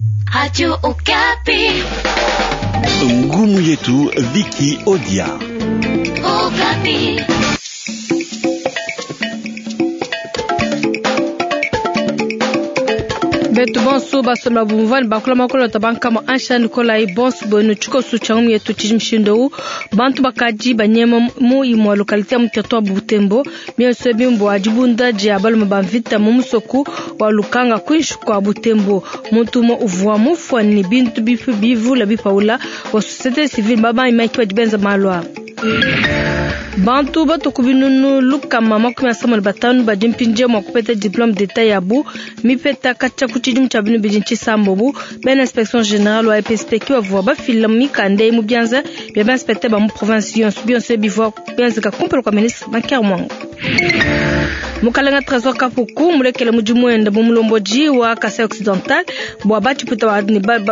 Radio Okapi. Ngumu yetu Viki Odia. Okapi. Betu bonso basola bumvani bakula makolo tabankama ansha Nikolai bonso bwenu tshikosu tsha ngumu yetu tshidi mushindu bantu bakadi banyema mu imue localité ya mu territoire Butembo mionso bimbo dibunda dia balume ba mvita mu musoku wa Lukanga kwinshi kwa Butembo muntu umue uvua mufua ni bintu bifu bivula bipaula wa société civile babaimaki badi benza malu aa. Bantu batuku binunu lukama 35 badi mpindieu mua kupeta diplome d'etat yabu mipeta katshia ku tshidimu tshia binu bidi ntshisambobu. Bena inspection generale wa EPSP ki bavua bafila mikanda eyi mu bianza bia ba inspecteur ba mu province yonso. Bionso bivua bienzeka kumpala kua ministre Maker Mwango. Mukalenga Tresor Kapuku mulekele mudimu wende bu mulombodi wa Kasai Occidental bua batshipuita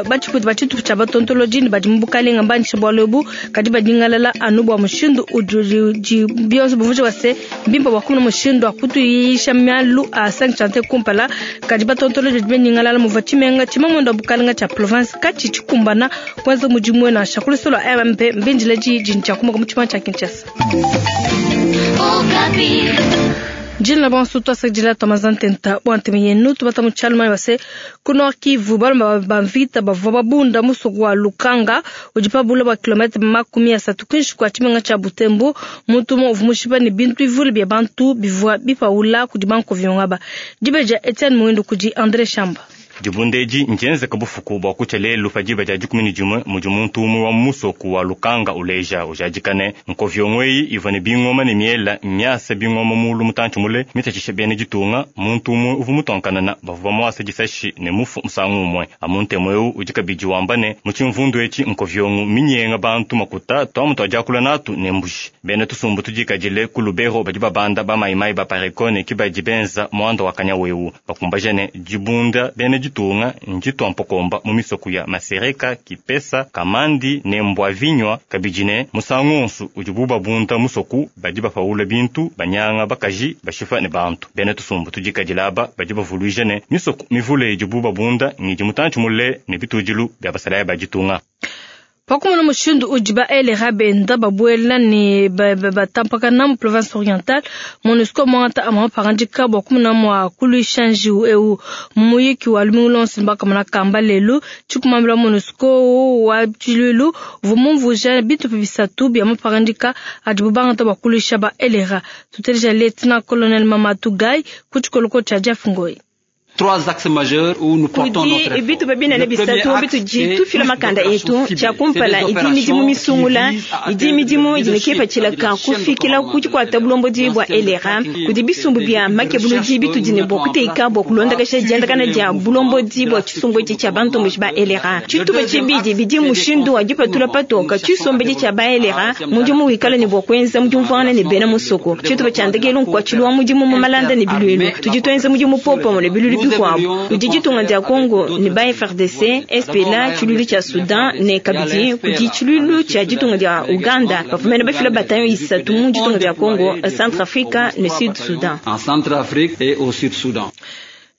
ba tshitupa tshia batontolodi ne badi mu bukalenga mbanyisha bualu ebu kadi badingalala anu bua mushindu udi bionso bumvuija bua se mbimpe bua kumona mushindu wa kutuyisha malu a 5 chantier kumpala kadi batontolodi badi banyingalala muvua tshimenga tshimamuende wa bukalenga tshia province katshi tshikumbana kuenza mudimu nansha ku lusolo lua MMP mbindile diyi tshia kumuka mu tshimenga tshia Kinshasa. Jina bonso twasakidila twamazantenta bua ntema yenu tubata mu tshialu mani base ku Nord Kivu balume ba mvita bavua babunda musoku wa Lukanga udi pa bule bua kilomètre 30 kwinshi kwa tshimenga tshia Butembo. Muntu umue uvua mushipa ne bintu bivule bia bantu bivua bipaula kudi bankoviongo aba. Diba dia Etienne Muindu kudi André Shamba. Dibunda edi ndienzeka bufuku bua kutshia lelu pa diba dia 11 mudi muntu umue wa musoku wa Lukanga uleja ujadika ne nkoviongo eyi ivua ne bingoma ne miela miasa bingoma mulu mutantshi mule mitatshisha bena ditunga. Muntu umue uvua mutonkanana bavua bamuasa disashi ne mufu musangu umue. Amu ntemu eu udi kabidi wamba ne mu tshimvundu etshi nkoviongo minyenga bantu makuta tuamu tua diakula natu ne mbuji. Bena tusumbu tudikadile ku Lubero badi babanda ba maimai ba Parekone ki badi benza muanda wa kanyawu eu bakumbaja ne dibunda bena ditunga njitu mpokomba mu misoku ya Masereka, Kipesa, Kamandi ne Mbwavinywa kabidi ne musangu onsu udi babunda musoku badi bapaula bintu banyanga bakaji bashifa ne bantu. Bena tusumbu tudikadila aba badi bavuluija ne misoku mivule idi babunda ngidi mutantshi mule ne bitudilu bia basalaya ba ditunga. Pakumona mushindu udi ba LRA benda babuela ne batampakana mu province orientale, MONUSCO muangata amue mapangadika bua kumona mua kuluisha njiwu eu. Mu muyiki wa lumingu luonso ne bakamona kamba lelu tshikumambila MONUSCO wa tshiluilu uvua mumvuija bitupa bisatu bia mapangadika adibu bangata bua kuluisha ba LRA. Tuteleja Lieutenant Colonel Mamadou Gaye ku tshikoloko tshia Jeff Ngoyi. Trois axes majeurs où nous portons notre Kudi bitupa binene bisatu bitudi tufila makanda etu tshia kumpala idi midimu misungula idi midimu idi ne kipatshila kufikila ku tshikuata bulombodi bua LRA kudi bisumbu bia makebuludi bitudi ne bua kuteka bua kulondakasha diendakana dia bulombodi bua tshisumbu etshi tshia bantomboji ba LRA. Tshitupa tshibidi bidi mushindu wa dipatula patoka tshisombedi tshia ba LRA mudimu wikala ne bua kuenza mudimu ne bena musoko. Tshitupa tshia ndekelu nkuatshilu wa mudimu mu malanda ne biluilu tudi tuenza mudimu popamue ne biluilu bikuabu. Kudi ditunga dia Congo ne ba FARDC, SPLA tshiluilu tshia Sudan ne kabidi kudi tshiluilu tshia ditunga dia Uganda bafumene bafila bataillon isatu mu ditunga dia Congo, Centrafrique ne Sud Sudan. En Centrafrique et au Sud Soudan.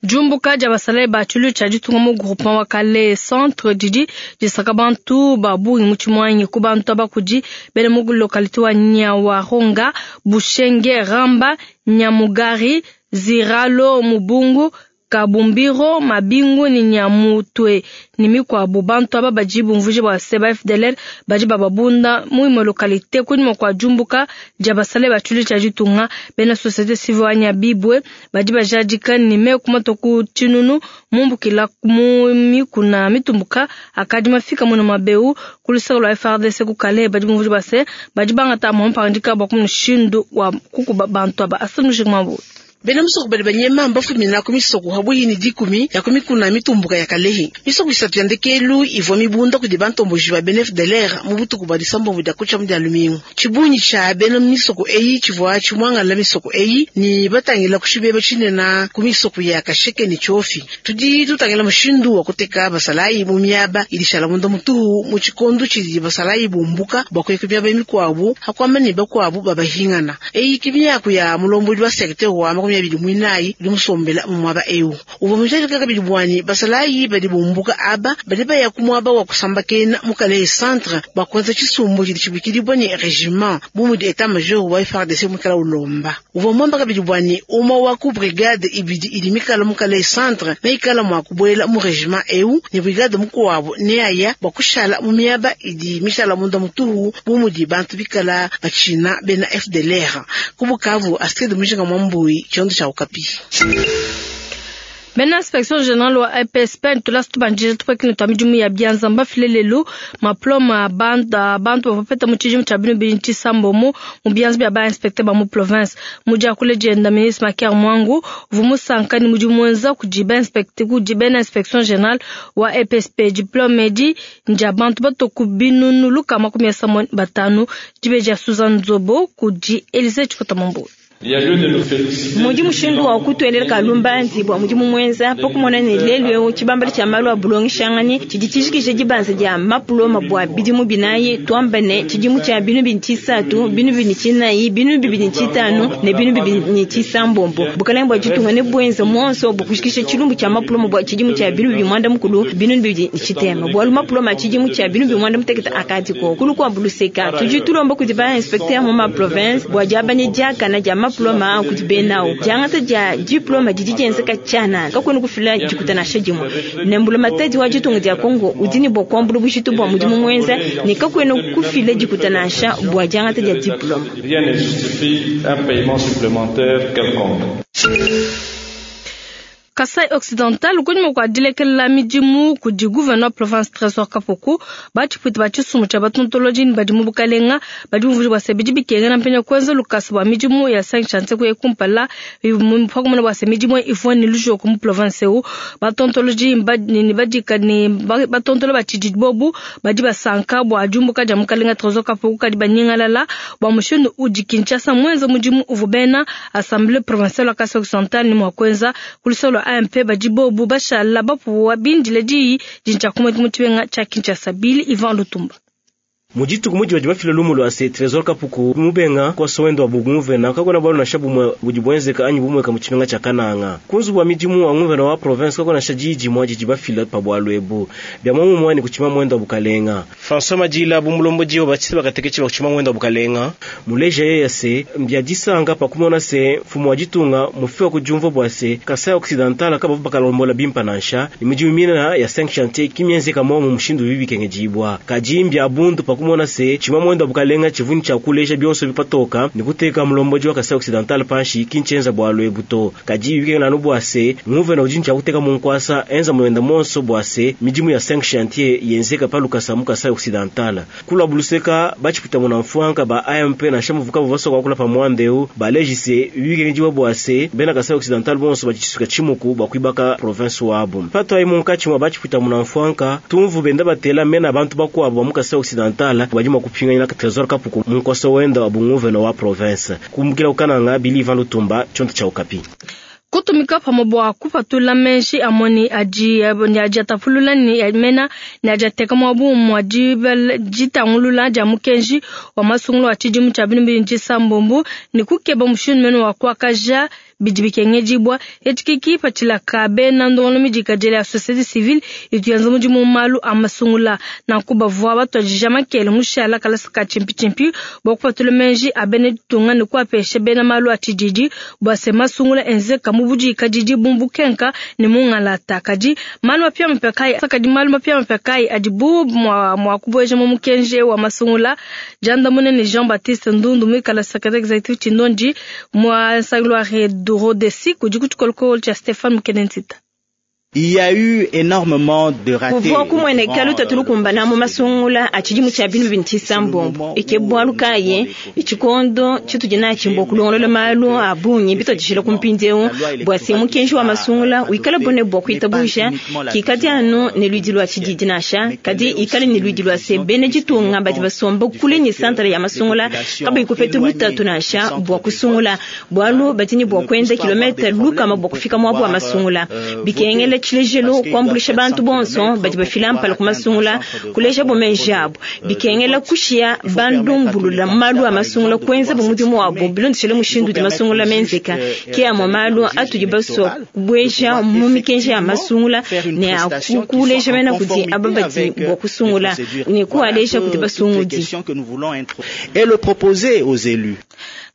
Jumbuka dia basalayi ba tshiluilu tshia ditunga mu groupement wa Kale centre didi disaka bantu ba bungi mu tshimuanyi ku bantu aba kudi bena mu localité wa Nyawaronga, Bushenge, Ramba, Nyamugari, Ziralo, Mubungu, Kabumbiro, Mabingu ni Nyamutwe ni mikuabu. Bantu aba badi bumvuje bua se ba FDLR badi bababunda mu imue localité kunyima kua jumbuka dia basalayi ba tshiluilu tshia ditunga. Bena société civile wa Nyabibwe badi bajadika ni meku matoku tshinunu mumbukila mu mikuna mitumbuka akadi mafika muno mabeu ku luseke lua FARDC ku Kalehe. Badi bumvuje bua se badi bangata amue mapangadika bua kumushindu wa kukuba bantu aba. Asante Mujinga. Bena musoko badi banyema mbafumina ku misoko habuyi ni 10 ya ku mikuna mitumbuka ya Kalehe. Misoko isatu ya ndekelu ivua mibunda kudi bantomboji ba bena FDLR mu butuku bua disambombo dia kutshia mu dia lumingu. Tshibunyi tshia bena misoko eyi tshivua tshimuangala misoko eyi ni batangila ku tshibeba tshinene ku misoko ya Kasheke ne Tshiofi. Tudi tutangila mushindu wa kuteka basalayi mu miaba idi shala munda mutuhu mu tshikondo tshidi basalayi bumbuka bua kuya ku miaba mikuabu hakuamba ne bakuabu babahingana. Eyi ki miaku ya mulombodi wa secteur wa 24 udi musombela mu muaba eu. Uvua mujadika kabidi bua ne basalayi badi bumbuka aba badi baya ku muaba wa kusambakena mu Kalehe Centre bua kuenza tshisumbu tshidi tshibikidibua ne regiment bu mudi etat major wa FARDC muikala ulomba. Uvua muamba kabidi bua ne umue wa ku brigade ibidi idi mikala mu Kalehe Centre neikala mua kubuela mu regiment eu ne brigade mukuabu neaya bua kushala mu miaba idi mishala munda mutuhu bu mudi bantu bikala batshina bena FDLR. Ku Bukavu, Astrid Mujinga Mwambui, tshiondo tshia Okapi. Bena inspection generale wa EPSP ntulasa tubanjije tupakini twa midimu ya bianza mbafile lelu maploma a bantu bavua bapeta mu tshidimu tshia binu bidi tshisambomo mu bianza bia ba inspecteur ba mu province. Mu diakula dienda ministre Maker Mwangu uvua musanka ne mudimu muenza kudi ba inspecteur kudi bena inspection generale wa EPSP. Diplome edi ndia bantu bato ku binunu 250 dibe dia Suzanne Nzobo kudi Elise Chikota Mambu. Mudi mushindu wa kutuelela kalumbanzi bua mudimu muenza pakumona ne lelu eu tshibambala tshia malu a bulongeshangani tshidi tshijikije dibanza dia mapuloma bua bidimu binayi tuamba ne tshidimu tshia binu bini tshisatu binu bini tshinayi binu bibini tshitanu ne binu bibini tshisambombo bukalenge bua ditunga ne buenza muonso bua kujikisha tshilumbu tshia mapuloma bua tshidimu tshia binu bibi mwanda mukulu binu bibidi tshitema bualu mapuloma tshidimu tshia binu bibi mwanda mutekete akadiko kulu kwa buluseka tudi tulomba kudi ba inspecteur mu ma province bua diabanya diakana dia diploma kudi benao diangata dia diploma didi dienzeka tshianana kakuena kufila dikuta nansha dimue ne mbulamatadi wa ditunga dia Congo udi ne bua kuambula bujitu bua mudimu muenza ne kakuena kufila dikuta nansha bua diangata dia diploma. Rien ne justifie un paiement supplémentaire quelconque. Kasai Occidental kunyima kua dilekelela midimu kudi gouverneur province Trésor Kapuku batshipwita ba tshisumbu tshia batontolodi ne badi mu bukalenga badi bumvuija bua se bidi bikengela mpenya kuenza lukasa bua midimu ya 5 chantier kuya kumpala pakumona bua se midimu ivua ne lujoko mu province eu batontolodi ne badika ne batontolo ba tshididi bobu badi basanka bua diumbuka dia mukalenga Trésor Kapuku kadi banyingalala bua mushindu udi Kinshasa muenza mudimu uvua bena assemblée provinciale wa Kasai Occidental ne mua kuenza kulusolo AMP badi bobu bashala bapuwa bindile diyi dintsha kumwe mu tshibenga tshia Kinshasa. Bili Ivan Lutumba. Mujituku muji badi bafila lumu lwa se Trésor Kapuku mubenga kwa sowendo wa bugumvena kakona bwalo nasha bumwe budi bwenzeka anyi bumwe ka muchimenga cha Kananga kunzu bwa midimu wa nguvena wa province kakona sha jiji mwaji jibafila pa bwalo ebu bya mwamu mwani kuchima mwendo wa bukalenga François Majila bumulombo jiyo bachisi bakatekechi bakuchima mwendo wa bukalenga muleja yeye se mbya disanga pa kumona se mfumo wa jitunga mufiwa kujumva bwa se Kasai Occidental kabavu bakalombola bimpa nansha ni midimu mina ya 5 chantier kimyenzeka mwamu mushindu bibi kengejibwa kajimbya bundu pa kumona se chima mwendo bukalenga chivuni cha kulesha byonso bipatoka nikuteka mulomboji wa Kasai Occidental panshi kinchenza bwalo ebuto kaji bike na nubwase nguve na ujincha kuteka munkwasa enza mwenda monso bwase midimu ya 5 chantier yenzeka paluka mu Kasai Occidental kula buluseka bachipita muna mfuanka ba AMP na shamuvuka buvaso kwa kula pa mwandeu balejise bike njiwa bwase bena Kasai Occidental bonso bachisuka chimuku bakwibaka province wabo pato ayi munkachi mwa bachipita muna mfuanka tumvu benda batela mena abantu bakwabo mu Kasai Occidental bajima kupinga na Trésor Kapuku munkoso wenda wa bunguveno wa province kumbukila ukananga Bili Ivan Lutumba chonto cha Okapi. Kutumika pamwe bua kupatula menshi amoni aji ni aji atapulula ni mena ni aji ateka mwabu mwa jitangulula ja mukenji wa masungulu wa tshidimu tshia binu bidi tshisambombo ni kukeba mushindu mene wa kuakaja bidi bikengedibwa etshikiki patshilaka bena ndongolo midikadile ya société civile itu yanza mudimu malu a masungula nanku bavua batuadija makele mushala kalasa ka tshimpi bua kupatula menji a bena ditunga ne kuapesha bena malu a tshididi bua se masungula enzeka mu budikadidi bumbukenka ne mungalata kadi malu mapiamapia kayi kadi malu mapiamapia kayi adi bu mua kubueja mu mukenji wa masungula diandamuna ne Jean Baptiste Ndundu muikala secrétaire exécutif tshindondi mua nsangilu wa Rodesi kudi kutshikolokolo tshia Stéphane Mukenentita. Il y a eu énormément de ratés. Kuvua kumweneka lutatu lukumbana mu masungula a tshidimu tshia binu bini tshisambombo ike bwalu kaye itshikondo tshitudi natshimbo kulongolola malu a bungi bitwadishila kumpindiewu bua se mukenji wa masungula wikala bone bua kuitabuja kikadi anu ne luidi lua tshididi nansha kadi ikale ne luidi lua se bena ditunga badi basomba kule ne santre ya masungula kabayi kupeta lutatu nansha bua kusungula bualu badi ne bua kuenza kilomita lukama bua kufika muabu wa masungula bikengela Tshilejelu, kuambuluisha bantu bonso badi bafila mpala ku masungula, kulejabo meji abo. Bikengela kushiya bandumbulula malu a masungula kuenza bo mudimu wabo bilondeshile mushindu udi masungula menzeka. Ke amue malu atudi basua kubueja mu mikenji ya masungula ne a kuleja mena kudi aba badi bua kusungula ne kualeja kudi basungudi. Et le proposer aux élus.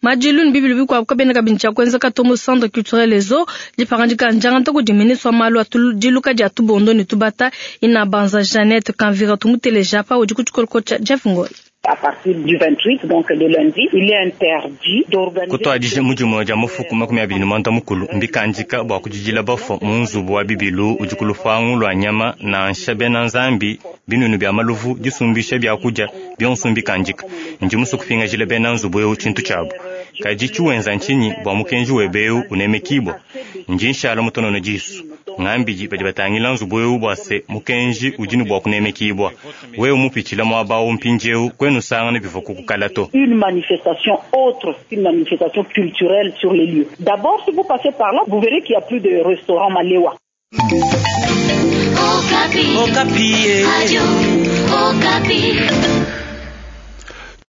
Madilu ne bibilu bikuabu kabiena kabidi tshia kuenzeka to mu Centre Culturel Ezo. Dipangadika ndiangata kudi ministre wa malu a diluka dia tubondo ne tubata Inabanza Jeannette Kanvira. Tumuteleja apa udi ku tshikoloko tshia Jeff Ngoy. À partir du 28, donc le lundi, il est interdit d'organiser. Kutuadija mu dimue dia mufuku 29 mbikandika bua kujidila bafua mu nzubu wa bibilu udi ku lupangu lua nyama nansha bena nzambi binunu bia maluvu disumbisha biakudia bionso mbikandika. Ndi musue kupingajila bena nzubu eu tshintu tshiabu. Kadi tshiwenza ntshinyi bua mukenji webe eu unemekibua? Ndi nshala mutonono disu. Ngambidi badi batangila nzubu eu bua se mukenji udi ne bua kunemekibua. Wewe mupitshila muaba awu mpindieu kwenu sangana bivua kukukala to. Une manifestation autre qu'une manifestation culturelle sur les lieux. D'abord, si vous passez par là, vous verrez qu'il n'y a plus de restaurant Malewa. Okapi. Okapi. Radio Okapi.